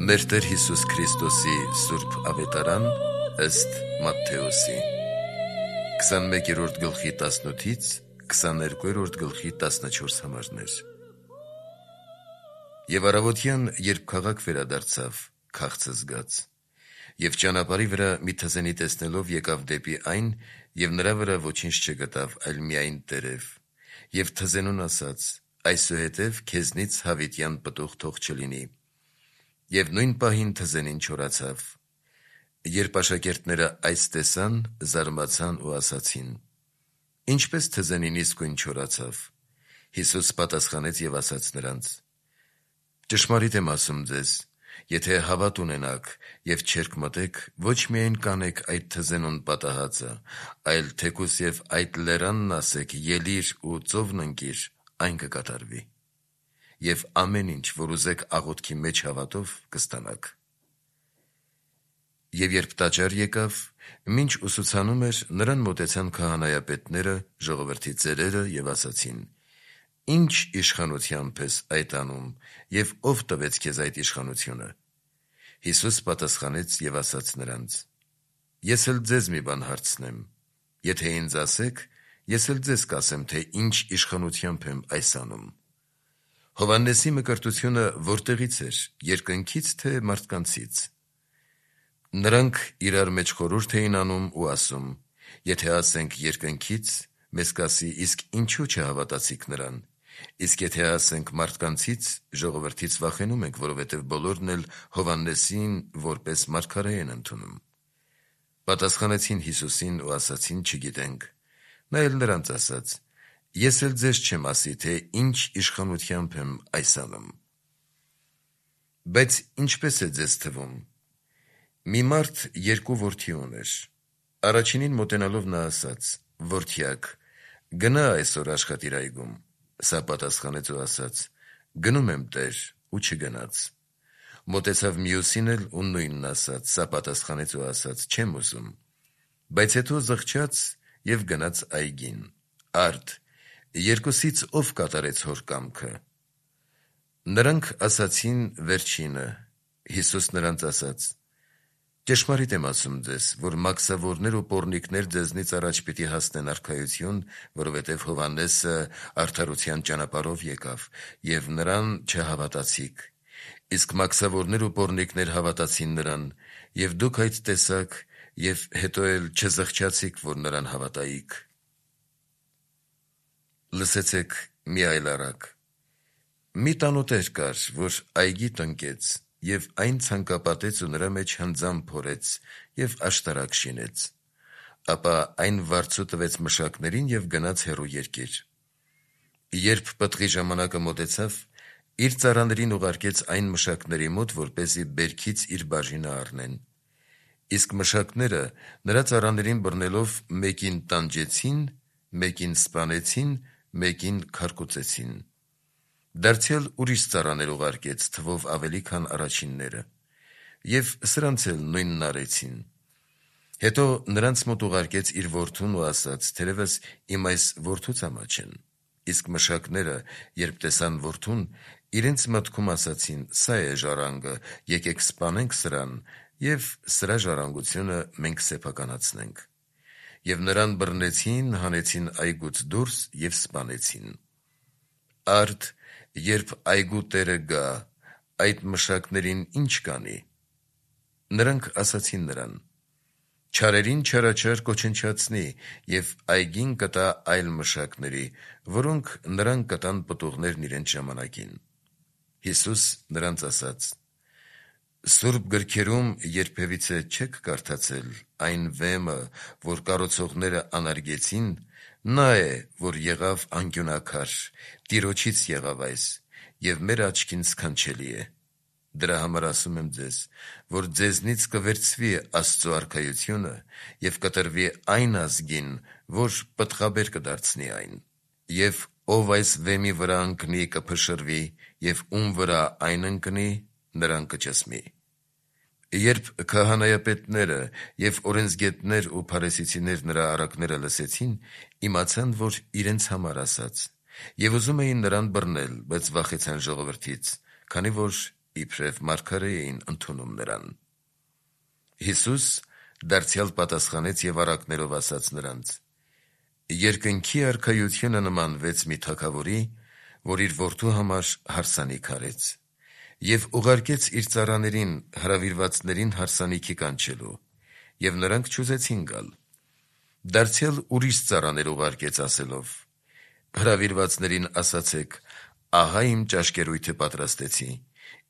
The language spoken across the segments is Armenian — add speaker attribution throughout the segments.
Speaker 1: Մեր Տեր Հիսուս Քրիստոսի Սուրբ Ավետարան ըստ Մատթեոսի 21-րդ գլխի 18-ից 22-րդ գլխի 14 համարներ։ Եվ առավոտյան, երբ քաղաք վերադարձավ, քաղցը զգաց, եւ ճանապարհի վրա մի թզենի տեսնելով եկավ դեպի այն, եւ նրա վրա ոչինչ չգտավ, այլ միայն տերև, եւ թզենուն ասաց. այսուհետև քեզնից հավիտյան պտուղ թող չլինի։ Եվ նույն պահին թզենին չորացավ։ Երբ աշակերտները այս տեսան, զարմացան ու ասացին. ինչպես թզենին իսկույն չորացավ։ Հիսուս պատասխանեց եւ ասաց նրանց. ճշմարիտ եմ ասում ձեզ, եթե հավատ ունենաք եւ չերկմտեք, ոչ միայն կանեք այդ թզենուն պատահածը, այլ թեկուս եւ այդ լերանն ասեք ելիր ու ծովն ընկիր, այն կկատարվի։ Եվ ամեն ինչ, որ ուզեք աղոթքի մեջ հավատով, կստանաք։ Եվ երբ տաճար եկավ, մինչ ուսուցանում էր, նրան մոտեցան քահանայապետները, ժողովրդի ծերերը եւ ասացին. ինչ իշխանությամբ ես այդ անում, եւ ով տվեց քեզ այդ իշխանությունը։ Հիսուս պատասխանեց եւ ասաց նրանց. ես էլ ձեզ մի բան հարցնեմ, եթե ինձ ասեք, ես էլ ձեզ կասեմ, թե ինչ իշխանությամբ եմ այս անում։ Հովհաննեսի մկրտությունը որտեղից էր, երկնքից թե մարդկանցից։ Նրանք իրար մեջ խորհուրդ էին անում ու ասում. եթե ասենք երկնքից, մեզ կասի իսկ ինչու չհավատացիք նրան, իսկ եթե ասենք մարդկանցից, ժողովրդից վախենում ենք, որովհետև բոլորն էլ Հովհաննեսին որպես մարգարե են ընդունում։ Պատասխանեցին Հիսուսին ու ասացին չգիտենք։ Նա էլ նրանց ասաց. ես էլ ձեզ չեմ ասի, թե ինչ իշխանությամբ եմ այս անում։ Բայց ինչպես է ձեզ թվում։ Մի մարդ երկու որդի ուներ։ Առաջինին մոտենալով նա ասաց. որդյակ, գնա այսօր աշխատիր այգում։ Սա պատասխանեց ու ասաց. գնում եմ տեր, ու չգնաց։ Մոտեցավ մյուսին էլ ու նույնն ասաց, սա պատասխանեց ու ասաց. չեմ ուզում։ Բայց հետո զղջաց եւ գնաց այգին։ Արդ, երկուսից ով կատարեց հոր կամքը։ Նրանք ասացին վերջինը։ Հիսուս նրանց ասաց. ճշմարիտ եմ ասում ձեզ, որ մաքսավորներ ու պոռնիկներ ձեզնից առաջ պիտի հասնեն արքայություն, որովհետև Հովհաննեսը արդարության ճանապարհով եկավ, եւ նրան չհավատացիք։ Իսկ մաքսավորներ ու պոռնիկներ հավատացին նրան, եւ դուք այդ տեսաք, եւ հետո էլ չզղջացիք, որ նրան հավատայիք։ Լսեցեք մի այլ առակ։ Մի տանոտեր կար, որ այգի տնկեց, եւ այն ցանկապատեց ու նրա մեջ հնձան փորեց եւ աշտարակ շինեց։ Ապա այն վարձու տվեց մշակներին եւ գնաց հեռու երկիր։ Երբ պտղի ժամանակը մոտեցավ, իր ծառաներին ուղարկեց այն մշակների մոտ, որպեսզի բերքից իր բաժինը առնեն։ Իսկ մշակները նրա ծառաներին բռնելով մեկին տանջեցին, մեկին սպանեցին, մեկին քարկոծեցին։ Դարձյալ ուրիշ ծառաներ ուղարկեց, թվով ավելի, քան առաջինները, եւ սրանց էլ նույնն արեցին։ Հետո նրանց մոտ ուղարկեց իր որդուն ու ասաց. թերևս իմ այս որդուց ամաչեն։ Իսկ մշակները, երբ տեսան որդուն, իրենց մտքում ասացին. սա է ժառանգը, եկեք սպանենք սրան, եւ սրա ժառանգությունը մենք սեփականացնենք։ Եվ նրան բռնեցին, հանեցին այգուց դուրս եւ սպանեցին։ Արդ, երբ այգու տերը գա, այդ մշակներին ինչ կանի։ Նրանք ասացին նրան. չարերին չարաչար կոչնչացնի եւ այգին կտա այլ մշակների, որոնք նրան կտան պտուղներն իրենց ժամանակին։ Հիսուս նրանց ասաց. Սուրբ գրքերում երբևիցե չեք կարդացել այն վեմը, որ կառուցողները անարգեցին, նա է, որ եղավ անկյունաքար, Տիրոջից եղավ այս, եւ մեր աչքին սքանչելի է։ Դրա համար ասում եմ ձեզ, որ ձեզնից կվերցվի Աստծո արքայությունը եւ կտրվի այն ազգին, որ պտղաբեր կդարձնի այն։ Եվ ով այս վեմի վրա ընկնի, կփշրվի, եւ ում վրա այն ընկնի, նրան կճսմի։ Երբ քահանայապետները եւ օրենսգետներ ու փարիսեցիներ նրա առակները լսեցին, իմացան, որ իրենց համար ասաց, եւ ուզում էին նրան բռնել, բայց վախեցան ժողովրդից, քանի որ իբրև մարգարե էին ընդունում նրան։ Հիսուս դարձյալ պատասխանեց և առակներով ասաց նրանց. «Երկնքի արքայությունը նմանվեց մի թագավորի, որ իր որդու համար հարսանիք արեց, և ուղարկեց իր ծառաներին հրավիրվածներին հարսանիքի կանչելու, և նրանք չուզեցին գալ։ Դարձյալ ուրիշ ծառաներ ուղարկեց ասելով. հրավիրվածներին ասացեք. ահա իմ ճաշկերույթը պատրաստեցի,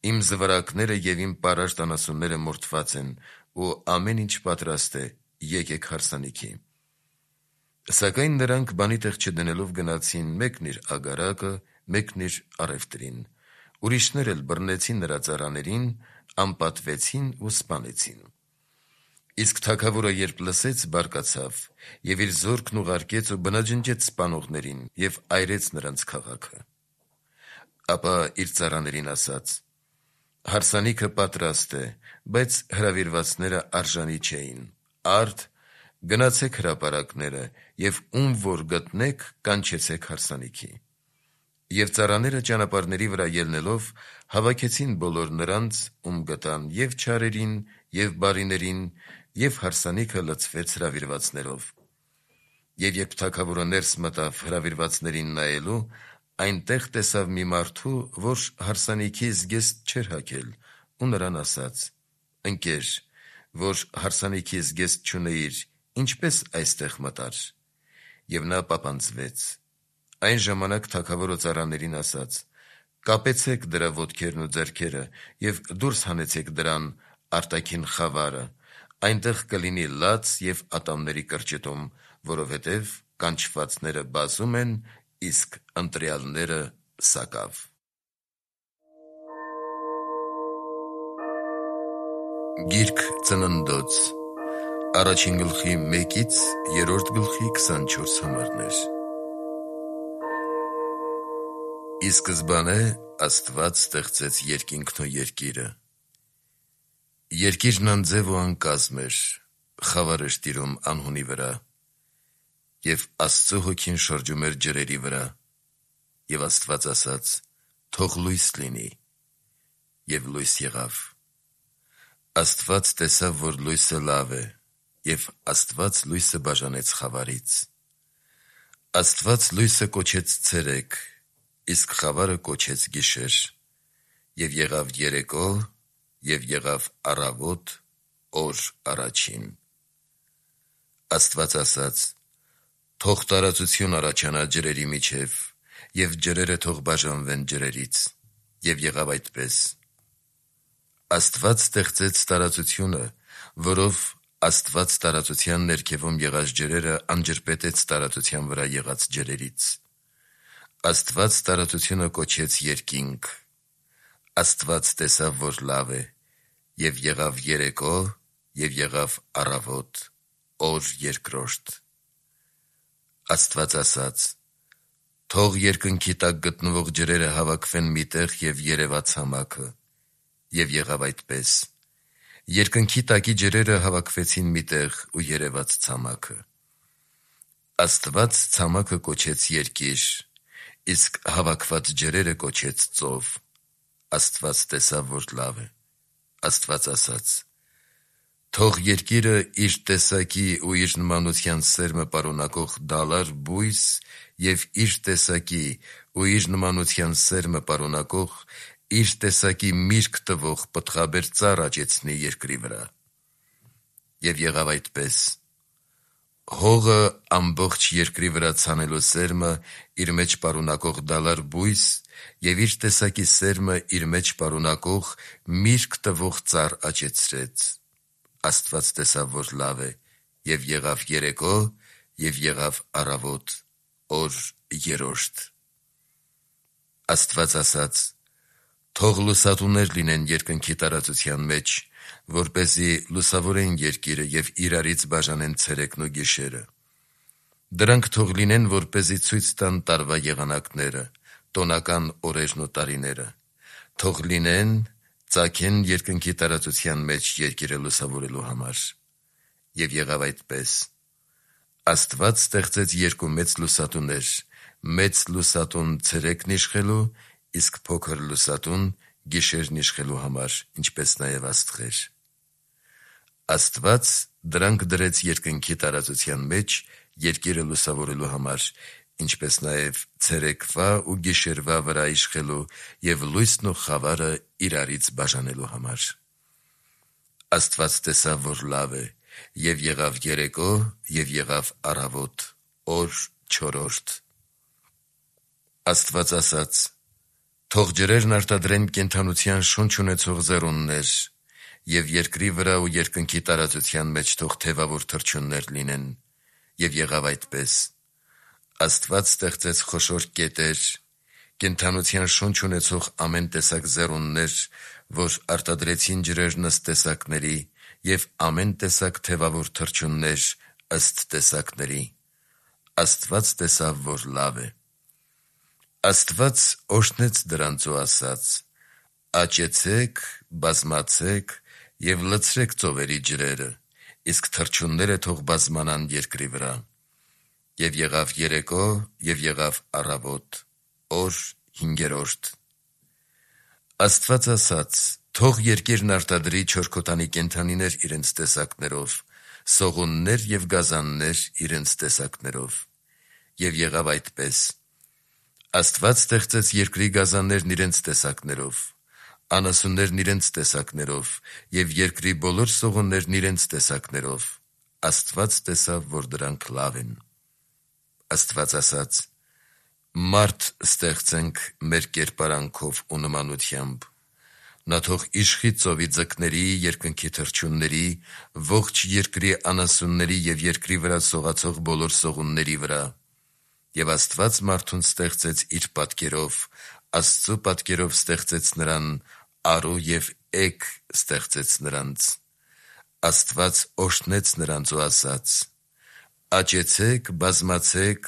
Speaker 1: իմ զվարակները և իմ պարարտ անասունները մորթված են, ու ամեն ինչ պատրաստ է, եկեք հարսանիքի։ Սակայն նրանք բանի տեղ չդնելով գնացին մեկն իր ագարակը, մեկն իր առևտրին, ուրիշներ էլ բռնեցին նրա ծառաներին, անպատվեցին ու սպանեցին։ Իսկ թագավորը երբ լսեց, բարկացավ և իր զորքն ուղարկեց ու բնաջնջեց սպանողներին և այրեց նրանց քաղաքը։ Ապա իր ծառաներին ասաց. հարսանիքը պատրաստ է, բայց հրավիրվածները արժանի չէին, արդ գնացեք հրապարակները և ում որ գտնեք, կանչեցեք հարսանիքի։ Եվ ծառաները ճանապարհների վրա ելնելով հավաքեցին բոլոր նրանց, ում գտան, և չարերին, և բարիներին, և հարսանիքը լցվեց հրավիրվածներով։ Եվ երբ թագավորը ներս մտավ հրավիրվածներին նայելու, այնտեղ տեսավ մի մարդու, որ հարսանիքի զգեստ չէր հագել, ու նրան ասաց. «Ընկեր, որ հարսանիքի զգեստ չունեիր, ինչպե՞ս այստեղ մտար»։ Եվ նա պապանձվեց։ Այն ժամանակ թագավորը ծառաներին ասաց. «Կապեցեք դրա ոտքերն ու ձեռքերը և դուրս հանեցեք դրան արտաքին խավարը, այնտեղ կլինի լաց և ատամների կրճտում, որովհետև կանչվածները բազում են, իսկ ընտրյալները սակավ»։ Գիրք Ծննդոց 1:1-24 Ի սկզբանե Աստված ստեղծեց երկինքն ու երկիրը։ Երկիրն անձև ու անկազմ էր, խավար էր տիրում անհունի վրա, և Աստծու հոգին շրջում էր ջրերի վրա։ Եվ Աստված ասաց. «Թող լույս լինի», և լույս եղավ։ Աստված տեսավ, որ լույսը լավ է, և Աստված լույսը բաժանեց խավարից։ Աստված լույսը կոչեց ցերեկ, իսկ խավարը կոչեց գիշեր։ Եվ եղավ երեկո, և եղավ առավոտ, օր առաջին։ Աստված ասաց. «Թող տարածություն առաջանա ջրերի միջև, և ջրերը թող բաժանվեն ջրերից»։ Եվ եղավ այդպես։ Աստված ստեղծեց տարածությունը, որով Աստված տարածության ներքևում եղած ջրերը անջրպետեց տարածության վրա եղած ջրերից։ Աստված տարածությունը կոչեց երկինք։ Աստված տեսավ, որ լավ է, և եղավ երեկո, և եղավ առավոտ, օր երկրորդ։ Աստված ասաց. «Թող երկնքի տակ գտնվող ջրերը հավաքվեն մի տեղ և երևա ցամաքը»։ Եվ եղավ այդպես։ Երկնքի տակի ջրերը հավաքվեցին մի տեղ ու երևաց ցամաքը։ Աստված ցամաքը կոչեց երկիր, իսկ հավաքված ջրերը կոչեց ծով։ Աստված տեսավ, որ լավ է։ Աստված ասաց. «Թող երկիրը իր տեսակի ու իր նմանության սերմը պարունակող դալար բույս և իր տեսակի ու իր նմանության սերմը պարունակող, իր տեսակի միրգ տվող պտղաբեր ծառ աճեցնի երկրի վրա»։ Եվ եղավ այդպես։ Հողը ամբողջ երկրի վրա ցանելու սերմը իր մեջ պարունակող դալար բույս և իր տեսակի սերմը իր մեջ պարունակող միրգ տվող ծառ աճեցրեց։ Աստված տեսավ, որ լավ է, և եղավ երեկո, և եղավ առավոտ, օր երրորդ։ Աստված ասաց. «Թող լուսատուներ լինեն երկնքի տարածության մեջ, որպեսզի լուսավորեն երկիրը և իրարից բաժանեն ցերեկն ու գիշերը։ Դրանք թող լինեն, որպեսզի ցույց տան տարվա եղանակները, տոնական օրերն ու տարիները։ Թող լինեն, ծագեն երկնքի տարածության մեջ երկիրը լուսավորելու համար»։ Եվ եղավ այդպես։ Աստված ստեղծեց երկու մեծ լուսատուներ, մեծ լուսատուն ցերեկն իշխելու, իսկ փոքր լուսատուն գիշերն իշխելու համար, ինչպես նաև աստղեր։ Աստված դրանք դրեց երկնքի տարածության մեջ երկիրը լուսավորելու համար, ինչպես նաև ցերեկվա ու գիշերվա վրա իշխելու և լույսն ու խավարը իրարից բաժանելու համար։ Աստված տեսավ, որ լավ է, և եղավ երեկո, և եղավ առավոտ, օր 4-րդ։ Աստված ասաց. «Թող ջրերն արտադրեն կենդանության շունչ ունեցող ձեռուններ, և երկրի վրա ու երկնքի տարածության մեջ թող թևավոր թռչուններ լինեն, և եղավ այդպես։ Աստված ստեղծեց խոշոր կետեր, կենդանության շունչ ունեցող ամեն տեսակ ձեռուններ, որ արտադրեցին ջրերն ըստ տեսակների, և ամեն տեսակ թևավոր թռչուններ ըստ տեսակների։ Աստված տեսավ, որ լավ է։ Աստված օրհնեց դրանց ու ասաց. «Աճեցեք, բազմացեք և լցրեք ծովերի ջրերը, իսկ թռչունները թող բազմանան երկրի վրա»։ Եվ եղավ երեկո, և եղավ առավոտ, օր 5-րդ։ Աստված ասաց. «Թող երկիրն արտադրի չորքոտանի կենդանիներ իրենց տեսակներով, սողուններ և գազաններ իրենց տեսակներով»։ Եվ եղավ այդպես։ Աստված ստեղծեց երկրի գազաններն իրենց տեսակներով, անասուններն իրենց տեսակներով և երկրի բոլոր սողուններն իրենց տեսակներով։ Աստված տեսավ, որ դրանք լավ են։ Աստված ասաց. «Մարդ ստեղծենք մեր կերպարանքով ու նմանությամբ. նա թող իշխի ծովի ձկների, երկնքի թռչունների, ողջ երկրի անասունների և երկրի վրա սողացող բոլոր սողունների վրա»։ Եվ Աստված մարդուն ստեղծեց իր պատկերով, Աստծու պատկերով ստեղծեց նրան, առու և էգ ստեղծեց նրանց։ Աստված օրհնեց նրանց ու ասաց. «Աճեցեք, բազմացեք,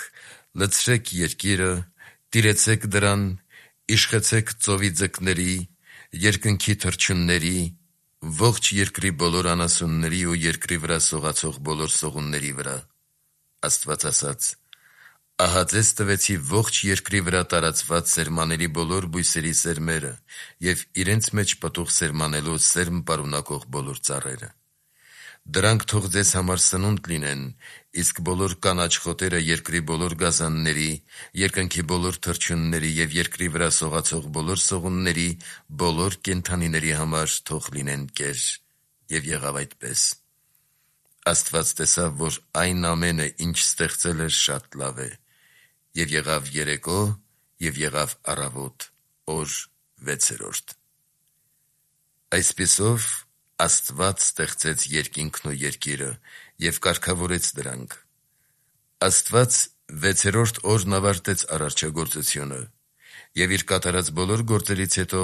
Speaker 1: լցրեք երկիրը, տիրեցեք դրան, իշխեցեք ծովի ձկների, երկնքի թռչունների, ողջ երկրի բոլոր անասունների ու երկրի վրա սողացող բոլոր սողունների վրա»։ Աստված ասաց. «Ահա ձեզ տվեցի ողջ երկրի վրա տարածված սերմանելի բոլոր բույսերի սերմերը և իրենց մեջ պտուղ սերմանելու սերմ պարունակող բոլոր ծառերը։ Դրանք թող ձեզ համար սնունդ լինեն, իսկ բոլոր կանաչ խոտերը երկրի բոլոր գազանների, երկնքի բոլոր թռչունների և երկրի վրա սողացող բոլոր սողունների, բոլոր կենդանիների համար թող լինեն կեր»։ Եվ եղավ այդպես։ Աստված տեսավ, որ այն ամենը, ինչ ստեղծել էր, շատ լավ է։ Եվ եղավ երեկո, և եղավ առավոտ, օր 6-րդ։ Այսպիսով Աստված ստեղծեց երկինքն ու երկիրը և կարգավորեց դրանք։ Աստված 6-րդ օրն ավարտեց արարչագործությունը և իր կատարած բոլոր գործերից հետո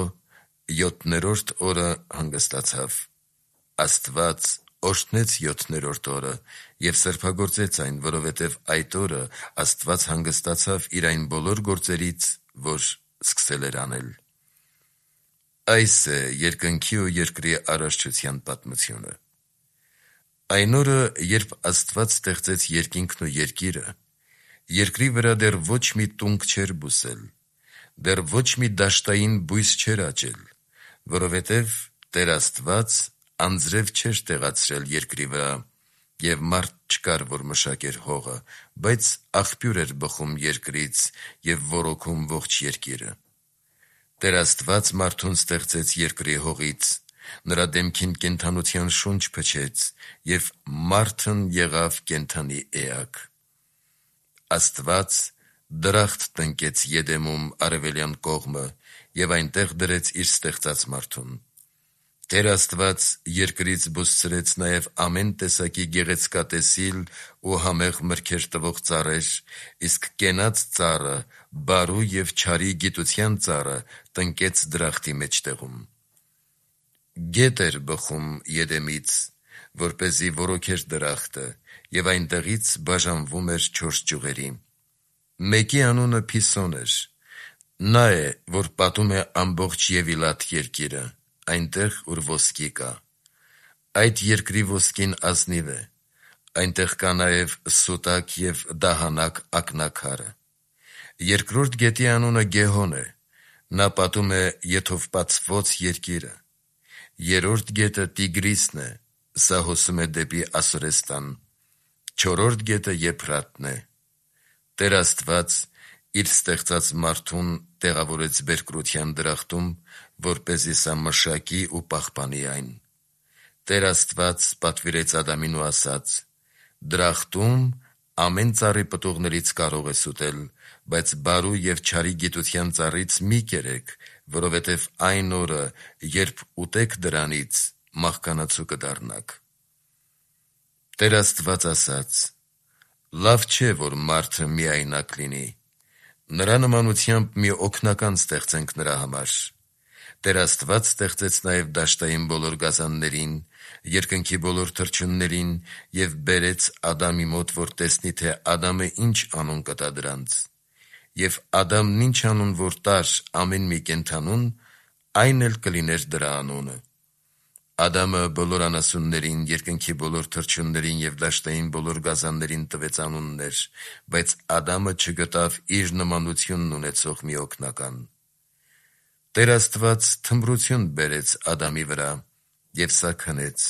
Speaker 1: 7-րդ օրը հանգստացավ։ Աստված օրհնեց 7-րդ օրը և սրբագործեց այն, որովհետև այդ օրը Աստված հանգստացավ իր այն բոլոր գործերից, որ սկսել էր անել։ Այս է երկնքի ու երկրի արարչության պատմությունը։ Այն օրը, երբ Աստված ստեղծեց երկինքն ու երկիրը, երկրի վրա դեռ ոչ մի տունգ չէր բուսել, դեռ ոչ մի դաշտային բույս չէր աճել, որովհետև Տեր Աստված անձրև չէր տեղացրել երկրի վրա, և մարդ չկար, որ մշակեր հողը, բայց աղբյուր էր բխում երկրից և ոռոգում ողջ երկիրը։ Տեր Աստված մարդուն ստեղծեց երկրի հողից, նրա դեմքին կենդանության շունչ փչեց, և մարդն եղավ կենդանի էակ։ Աստված դրախտ տնկեց Եդեմում արևելյան կողմը և այնտեղ դրեց իր ստեղծած մարդուն։ Տեր Աստված երկրից բուսցրեց նաև ամեն տեսակի գեղեցկատեսիլ ու համեղ մրգեր տվող ծառեր, իսկ կենաց ծառը, բարու և չարի գիտության ծառը տնկեց դրախտի մեջտեղում։ Գետ էր բխում Եդեմից, որպեսզի ոռոգեր դրախտը, և այնտեղից բաժանվում էր 4 ճյուղերի։ Մեկի անունը Փիսոն էր. նա է, որ պատում է ամբողջ Եվիլատ երկիրը, այնտեղ, ուր ոսկի կա։ Այդ երկրի ոսկին ազնիվ է, այնտեղ կա նաև սուտակ և դահանակ ակնաքարը։ Երկրորդ գետի անունը Գեհոն է. Նա պատում է եթովպացված երկիրը։ Երրորդ գետը Տիգրիսն է, սա հոսում է դեպի Ասորեստան։ Չորրորդ գետը Եփրատն է։ Տեր Աստված իր ստեղծած մարդուն տեղավորեց բերկրության դրախտում, որպեսզի սա մշակի ու պահպանի այն։ Տեր Աստված պատվիրեց Ադամին ու ասաց. «Դրախտում ամեն ծառի պտուղներից կարող ես ուտել, բայց բարու և չարի գիտության ծառից մի կերեք, որովհետև այն օրը, երբ ուտեք դրանից, մահկանացու կդառնաք»։ Տեր Աստված ասաց. «Լավ չէ, որ մարդը միայնակ լինի, նրա նմանությամբ մի օգնական ստեղծենք նրա համար»։ Տեր Աստված ստեղծեց նաև դաշտային բոլոր գազաններին, երկնքի բոլոր թռչուններին և բերեց Ադամի մոտ, որ տեսնի, թե Ադամը ինչ անուն կտա դրանց։ Եվ Ադամն ինչ անուն որ տար ամեն մի կենդանուն, այն էլ կլիներ դրա անունը։ Ադամը բոլոր անասուններին, երկնքի բոլոր թռչուններին և դաշտային բոլոր գազաններին տվեց անուններ, բայց Ադամը չգտավ իր նմանությունն ունեցող մի օգնական։ Տեր Աստված թմրություն բերեց Ադամի վրա, և սա քնեց։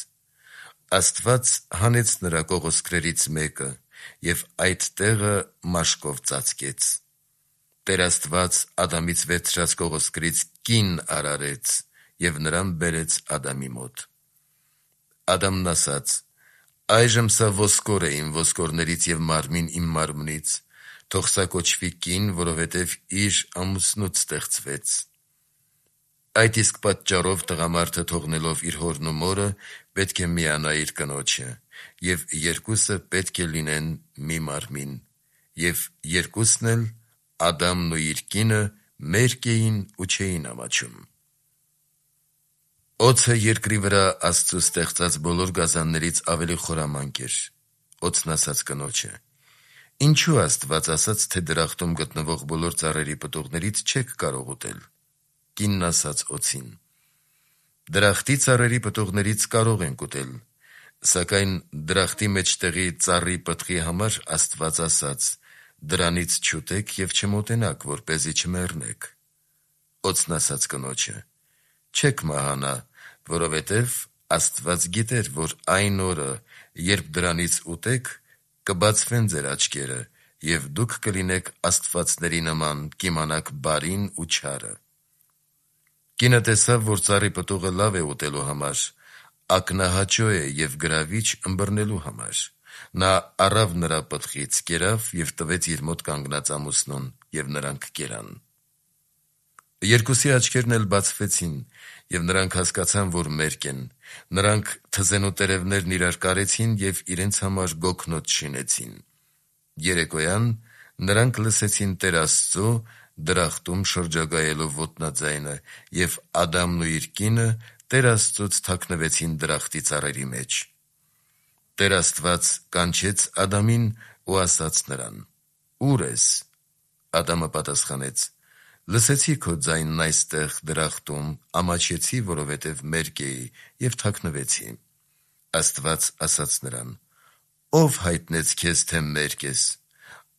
Speaker 1: Աստված հանեց նրա կողոսկրերից մեկը և այդ տեղը մաշկով ծածկեց։ Տեր Աստված Ադամից վերցրած կողոսկրից կին արարեց և նրան բերեց Ադամի մոտ։ Ադամն ասաց. «Այժմ սա ոսկոր է իմ ոսկորներից և մարմին իմ մարմնից, թող սա կոչվի կին, որովհետև իր ամուսնուց ստեղծվեց»։ Այդ իսկ պատճառով տղամարդը թողնելով իր հորն ու մորը, պետք է միանա իր կնոջը, և երկուսը պետք է լինեն մի մարմին։ Եվ երկուսն էլ, Ադամն ու իր կինը, մերկ էին ու չէին ամաչում։ Օձը երկրի վրա Աստծու ստեղծած բոլոր գազաններից ավելի խորամանկ էր։ Օձն ասաց կնոջը. «Ինչու Աստված ասաց, թե դրախտում գտնվող բոլոր ծառերի պտուղներից չեք կարող ուտել»։ Կինն ասաց օձին. «Դրախտի ծառերի պտուղներից կարող ենք ուտել, սակայն դրախտի մեջտեղի ծառի պտղի համար Աստված ասաց. դրանից չուտեք և չմոտենաք, որպեսզի չմեռնեք»։ Օձն ասաց կնոջը. «Չեք մահանա, որովհետև Աստված գիտեր, որ այն օրը, երբ դրանից ուտեք, կբացվեն ձեր աչքերը, և դուք կլինեք աստվածների նման, կիմանաք բարին ու չարը»։ Կինը տեսավ, որ ծառի պտուղը լավ է ուտելու համար, ակնահաճո է և գրավիչ ըմբռնելու համար։ Նա առավ նրա պտղից, կերավ և տվեց իր մոտ կանգնած ամուսնուն, և նրանք կերան։ Երկուսի աչքերն էլ բացվեցին, և նրանք հասկացան, որ մերկ են։ Նրանք թզենու տերևներն իրար կարեցին և իրենց համար գոգնոց շինեցին։ Երեկոյան նրանք լսեցին Տեր Աստծու դրախտում շրջագայելով ոտնաձայնը, և Ադամն ու իր կինը Տեր Աստծուց թաքնվեցին դրախտի ծառերի մեջ։ Տեր Աստված կանչեց Ադամին ու ասաց նրան. «Ո՞ւր ես»։ Ադամը պատասխանեց. «Լսեցի քո ձայնն այստեղ դրախտում, ամաչեցի, որովհետև մերկ էի, և թաքնվեցի»։ Աստված ասաց նրան. «Ո՞վ հայտնեց քեզ, թե մերկ ես։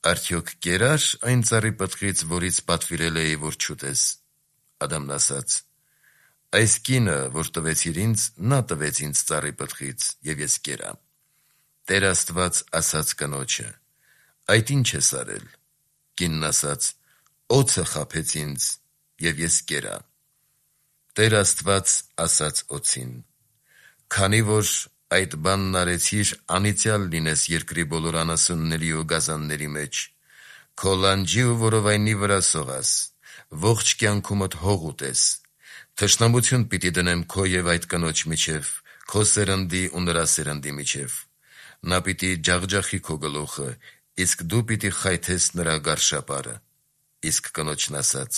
Speaker 1: Արդյոք կերա՞ր այն ծառի պտղից, որից պատվիրել էի, որ չուտես»։ Ադամն ասաց. «Այս կինը, որ տվեցիր ինձ, նա տվեց ինձ ծառի պտղից, և ես կերա»։ Տեր Աստված ասաց կնոջը. «Այդ ի՞նչ ես արել»։ Կինն ասաց. «Օձը խաբեց ինձ, և ես կերա»։ Տեր Աստված ասաց օձին. «Քանի որ այդ բանն արեցիր, անիծյալ լինես երկրի բոլոր անասունների ու գազանների մեջ։ Քո լանջի ու որովայնի վրա սողաս, ողջ կյանքումդ հող ուտես։ Թշնամություն պիտի դնեմ քո և այդ կնոջ միջև, քո սերնդի ու նրա սերնդի միջև։ Նա պիտի ջախջախի քո գլուխը, իսկ դու պիտի խայթես նրա գարշապարը»։ Իսկ կնոջն ասաց.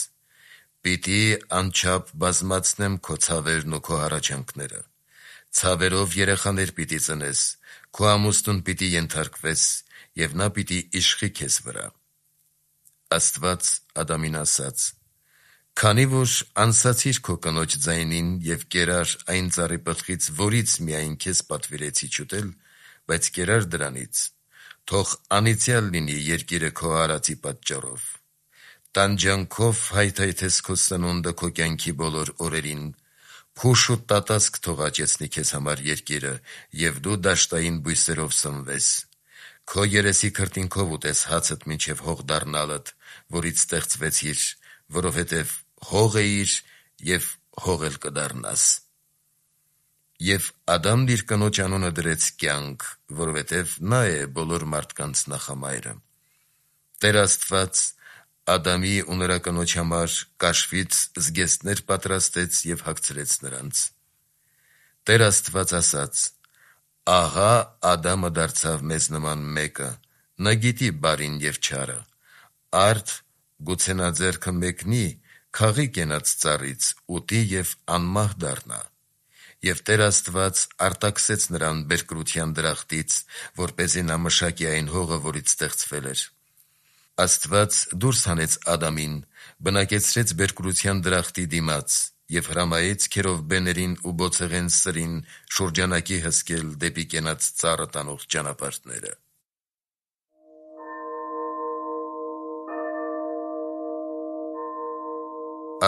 Speaker 1: «Պիտի անչափ բազմացնեմ քո ցավերն ու քո հառաչանքները։ Ցավերով երեխաներ պիտի ծնես, քո ամուսնուն պիտի ենթարկվես, և նա պիտի իշխի քեզ վրա»։ Աստված Ադամին ասաց. «Քանի որ անսացիր քո կնոջ ձայնին և կերար այն ծառի պտղից, որից միայն քեզ պատվիրեցի չուտել, բայց կերար դրանից, թող անիծյալ լինի երկիրը քո արածի պատճառով։ Տանջանքով հայթայթես քո սնունդը քո կյանքի բոլոր օրերին, փուշ ու տատասկ թող աճեցնի քեզ համար երկիրը, և դու դաշտային բույսերով սնվես: Քո երեսի քրտինքով ուտես հացդ մինչև հող դառնալդ, որից ստեղծվեցիր, որովհետև հող էիր և հող էլ կդառնաս: Եվ Ադամն իր կնոջ անունը դրեց Կյանք, որովհետև նա է բոլոր մարդկանց նախամայրը: Տեր Աստված Ադամի ու նրա կնոջ համար կաշվից զգեստներ պատրաստեց և հագցրեց նրանց: Տեր Աստված ասաց. «Ահա Ադամը դարձավ մեզ նման մեկը, նա գիտի բարին և չարը: Արդ գուցե նա ձեռքը մեկնի, քաղի կենաց ծառից, ուտի և անմահ դառնա: Եվ Տեր Աստված արտաքսեց նրան բերկրության դրախտից, որպեսզի նա մշակի այն հողը, որից ստեղծվել էր: Աստված դուրս հանեց Ադամին, բնակեցրեց բերկրության դրախտի դիմաց և հրամայեց քերովբեներին ու բոցեղեն սրին շուրջանակի հսկել դեպի կենաց ծառը տանող ճանապարհները»: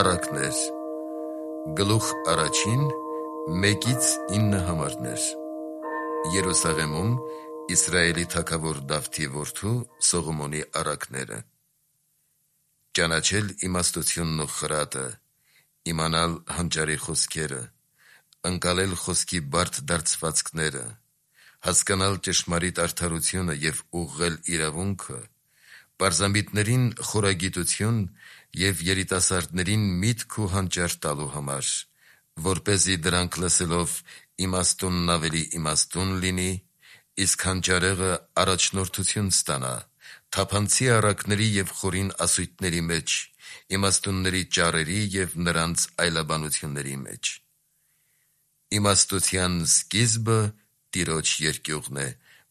Speaker 1: Առակներ Գլուխ 1 1-9 համարներ Երուսաղեմում Իսրայելի թագավոր Դավթի որդու Սողոմոնի առակները: Ճանաչել իմաստությունն ու խրատը, իմանալ հանճարի խոսքերը, ընկալել խոսքի բարդ դարձվածքները, հասկանալ ճշմարիտ արդարությունը և ուղղել իրավունքը, պարզամիտներին խորագիտություն և երիտասարդներին միտք ու հանճար տալու համար, որպեսզի դրանք լսելով իմաստունն ավելի իմաստուն լինի, իսկ հանճարեղը առաջնորդություն ստանա թափանցի առակների և խորին ասույթների մեջ, իմաստունների ճառերի և նրանց այլաբանությունների մեջ: Իմաստության սկիզբը Տիրոջ երկյուղն է,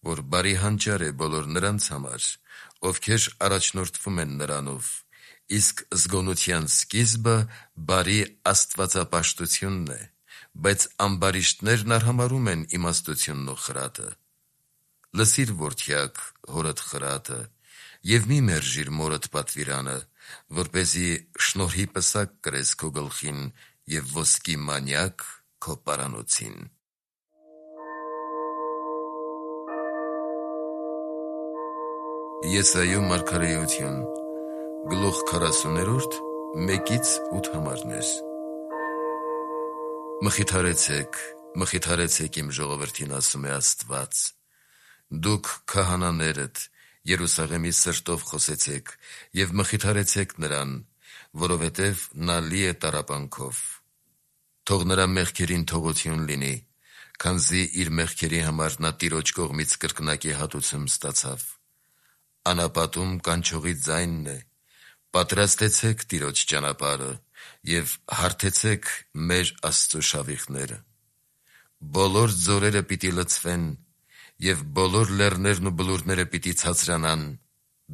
Speaker 1: որ բարի հանճար է բոլոր նրանց համար, ովքեր առաջնորդվում են նրանով, իսկ զգոնության սկիզբը բարի աստվածապաշտությունն է, բայց ամբարիշտներն արհամարհում են իմաստությունն ու խրատը: Լսի՛ր, որդյակ, հորդ խրատը և մի մերժիր մորդ պատվիրանը, որպեսզի շնորհի պսակ կրես քո գլխին և ոսկի մանյակ քո պարանոցին: Եսայու մարգարեություն Գլուխ 40 1-8 համարներ Մխիթարեցեք, մխիթարեցեք իմ ժողովրդին, ասում է Աստված: Դուք քահանաներդ Երուսաղեմի սրտով խոսեցեք և մխիթարեցեք նրան, որովհետև նա լի է տառապանքով: Թող նրա մեղքերին թողություն լինի, քանզի իր մեղքերի համար նա Տիրոջ կողմից կրկնակի հատուցում ստացավ: Անապատում կանչողի ձայնն է. «Պատրաստեցեք Տիրոջ ճանապարհը և հարթեցեք մեր Աստծու շավիղները»: Բոլոր ձորերը պիտի լցվեն, և բոլոր լեռներն ու բլուրները պիտի ցածրանան,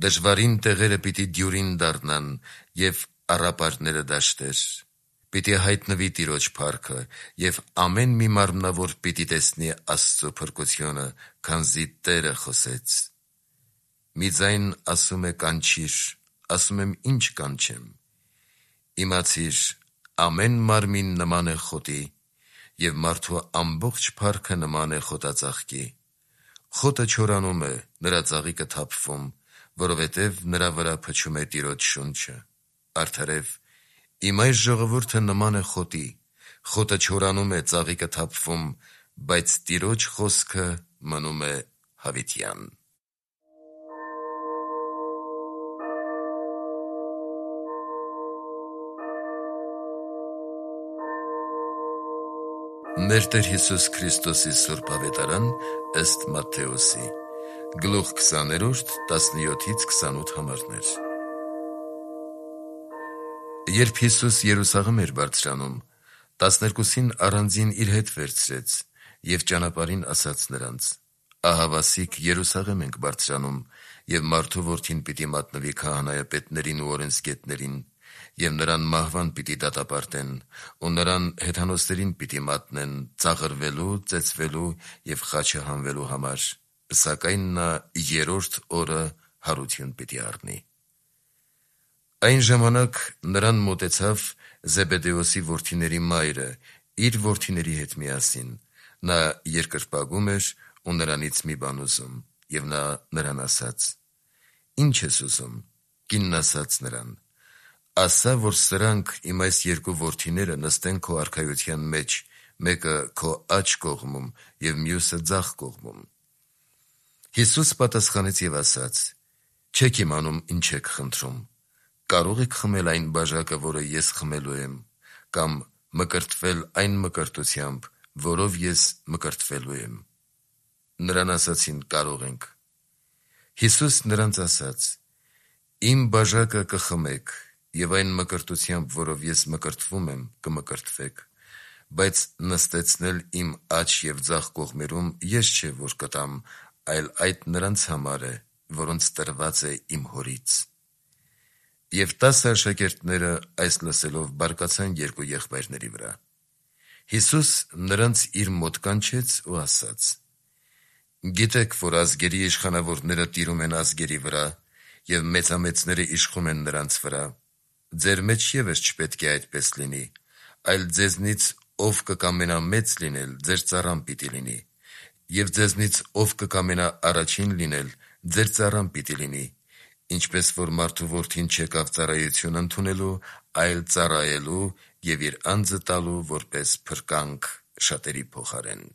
Speaker 1: դժվարին տեղերը պիտի դյուրին դառնան և առապարները դաշտեր: Պիտի հայտնվի Տիրոջ փառքը, և ամեն մի մարմնավոր պիտի տեսնի Աստծու փրկությունը, քանզի Տերը խոսեց: Մի ձայն ասում է. «Կանչիր», ասում եմ. «Ի՞նչ կանչեմ»: Իմացիր. ամեն մարմին նման է խոտի, և մարդու ամբողջ փառքը նման է խոտածաղկի: Խոտը չորանում է, նրա ծաղիկը թափվում, որովհետև նրա վրա փչում է Տիրոջ շունչը: Արդարև, իմ այս ժողովուրդը նման է խոտի, խոտը չորանում է, ծաղիկը թափվում, բայց Տիրոջ խոսքը մնում է հավիտյան: Մեր Տեր Հիսուս Քրիստոսի սուրբ Ավետարան ըստ Մատթեոսի Գլուխ 20 17-28 համարներ Երբ Հիսուս Երուսաղեմ էր բարձրանում, 12-ին առանձին իր հետ վերցրեց և ճանապարհին ասաց նրանց. «Ահավասիկ Երուսաղեմ ենք բարձրանում, և մարդու որդին պիտի մատնվի քահանայապետներին ու օրենսգետներին, և նրան մահվան պիտի դատապարտեն ու նրան հեթանոսներին պիտի մատնեն ծաղրվելու, ծեծվելու և խաչը հանվելու համար, սակայն նա երրորդ օրը հարություն պիտի առնի»: Այն ժամանակ նրան մոտեցավ Զեբեդեոսի որդիների մայրը իր որդիների հետ միասին. նա երկրպագում էր ու նրանից մի բան ուզում, և նա նրան ասաց. «Ի՞նչ ես ուզում»։ Կինն ասաց նրան. «Ասա, որ սրանք իմ այս երկու որդիները նստեն քո արքայության մեջ, մեկը քո աջ կողմում և մյուսը ձախ կողմում»։ Հիսուս պատասխանեց և ասաց. «Չեք իմանում ինչ եք խնդրում. կարո՞ղ եք խմել այն բաժակը, որը ես խմելու եմ, կամ մկրտվել այն մկրտությամբ, որով ես մկրտվելու եմ»։ Նրան ասացին. «Կարող ենք»։ Հիսուս նրանց ասաց. «Իմ բաժակը կխմեք և այն մկրտությամբ, որով ես մկրտվում եմ, կմկրտվեք, բայց նստեցնել իմ աջ և ձախ կողմերում ես չէ, որ կտամ, այլ այդ նրանց համար է, որոնց տրված է իմ Հորից»։ Եվ 10 աշակերտները այս լսելով բարկացան երկու եղբայրների վրա։ Հիսուս նրանց իր մոտ կանչեց ու ասաց. «Գիտեք, որ ազգերի իշխանավորները տիրում են ազգերի վրա, և մեծամեծները իշխում են նրանց վրա. ձեր մեջ ևս չպետք է այդպես լինի, այլ ձեզնից ով կկամենա մեծ լինել, ձեր ծառան պիտի լինի, և ձեզնից ով կկամենա առաջին լինել, ձեր ծառան պիտի լինի, ինչպես որ մարդու որդին չեկավ ծառայություն ընդունելու, այլ ծառայելու և իր անձը տալու որպես փրկանք շատերի փոխարեն»։